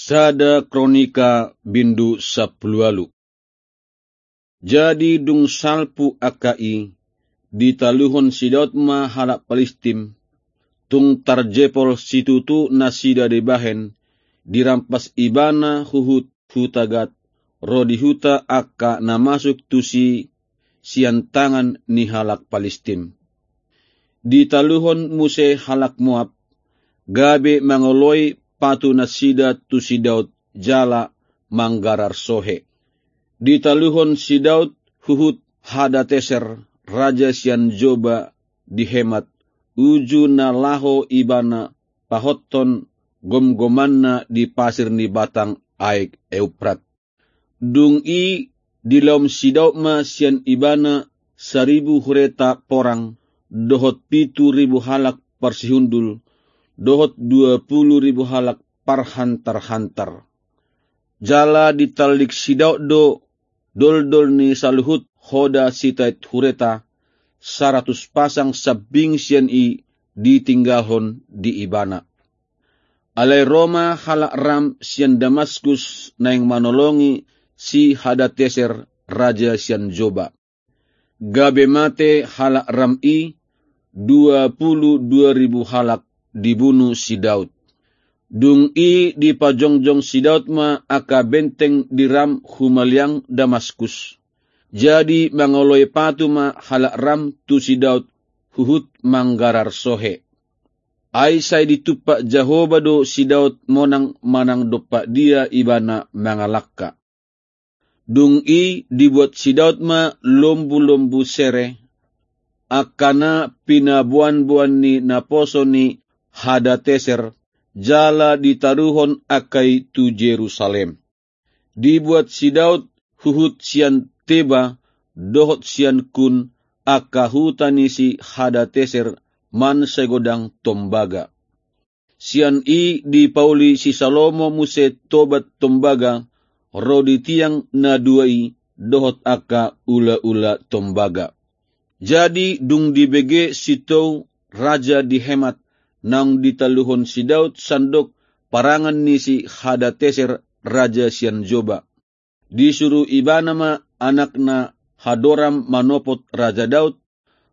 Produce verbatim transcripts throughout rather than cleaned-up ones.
Sada Kronika bindu sampulu ualu. Jadi dung salpu angka i, ditaluhon si Daud ma halak Palistim, tung tarjepol situtu nasida dibahen, dirampas ibana huhut huta Gat, ro di huta angka na masuk tusi sian tangan ni halak Palistim. Ditaluhon muse halak Moab, gabe mangoloi patu nasida tu si Daud jala manggarar sohe. Ditaluhon si Daud huhut Hadateser, raja sian Joba di Hemat, uju na laho ibana pahothon gomgomanna di pasir ni batang aek Euprat. Dung i dilaom si Daud ma sian ibana saribu hureta porang, dohot pitu ribu halak parsihundul, dohot dua pulu ribu halak parhantarhantar. Jala ditallik si Daud do doldol ni saluhut hoda sitait hureta, saratus pasang sambing sian i ditinggalhon di ibana. Alai ro ma halak Ram sian Damaskus naeng manolongi si Hadateser, raja sian Joba. Gabe mate halak Ram i, dua pulu dua ribu halak dibunu si Daud. Dung i dipajongjong si Daud ma angka benteng di Ram humaliang Damaskus. Jadi mangoloi patu ma halak Ram tu si Daud huhut manggarar sohe. Ai sai ditumpak Jahowa do si Daud monang manang dompak dia ibana mangalangka. Dung i dibuat si Daud ma lombu-lombu sere, angka na pinaboanboan ni naposo ni Hadateser, jala ditaruhon angka i tu Jerusalem. Dibuat si Daud huhut sian Teba dohot sian Kun, angka huta ni si Hadateser, mansegodang tombaga. Sian i dipauli si Salomo muse tobat tombaga, ro di tiang na dua i, dohot angka ulaula tombaga. Jadi dung dibege si Tou, raja di Hemat, naung ditaluhon si Daud sandok parangan ni si Hadateser, raja sian Joba, disuru ibana ma anakna Hadoram manopot raja Daud,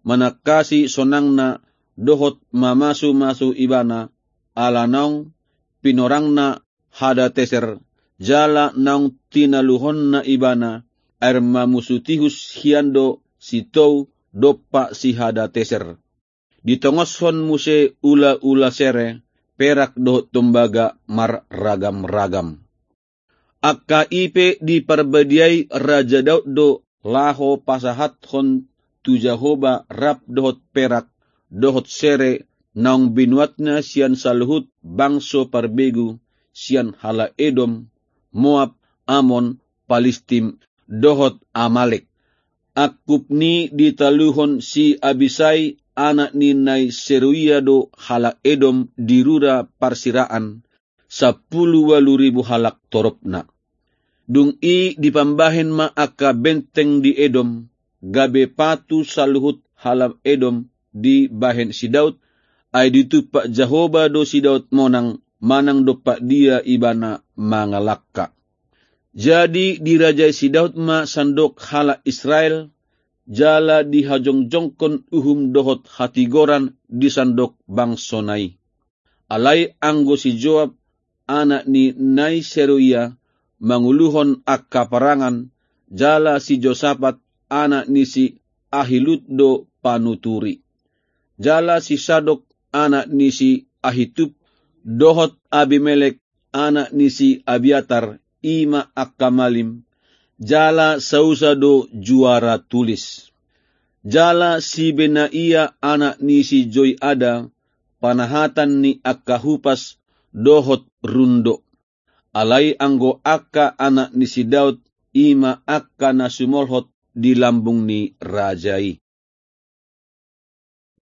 manangkasi sonangna dohot mamasumasu ibana, ala naung pinorangna Hadateser, jala naung tinaluhonna ibana, air mamusutihus hian do si Tou dompak si Hadateser. Ditongoshon muse ulaula sere, perak dohot tombaga marragamragam. Angka i pe diparbadiai raja Daud do laho pasahathon tu Jahowa rap dohot perak dohot sere naung binuatna sian saluhut bangso parbegu, sian halak Edom, Moab, Amon, Palistim, dohot Amalek. Angkup ni ditaluhon si Abisai, anak ni nai Seruia do halak Edom di rura parsiraan, sampulu ualu ribu halak toropna. Dung i dipambahen ma angka benteng di Edom, gabe patu saluhut halak Edom dibahen si Daud, ai ditumpak Jahowa do si Daud monang, manang dompak dia ibana mangalangka. Jadi dirajai si Daud ma sandok halak Israel, jala dihajongjongkon uhum dohot hatigoran di sandok bangsona i. Alai anggo si Joab, anak ni nai Seruia, manguluhon angka parangan, jala si Josapat, anak ni si Ahilud do panuturi. Jala si Sadok, anak ni si Ahitub, dohot Abimelek, anak ni si Abiatar, i ma angka malim, jala Sausa do juara tulis. Jala si Benaia, anak ni si Joiada, panahatan ni angka hupas dohot rundo. Alai anggo angka anak ni si Daud, i ma angka na sumolhot di lambung ni raja i.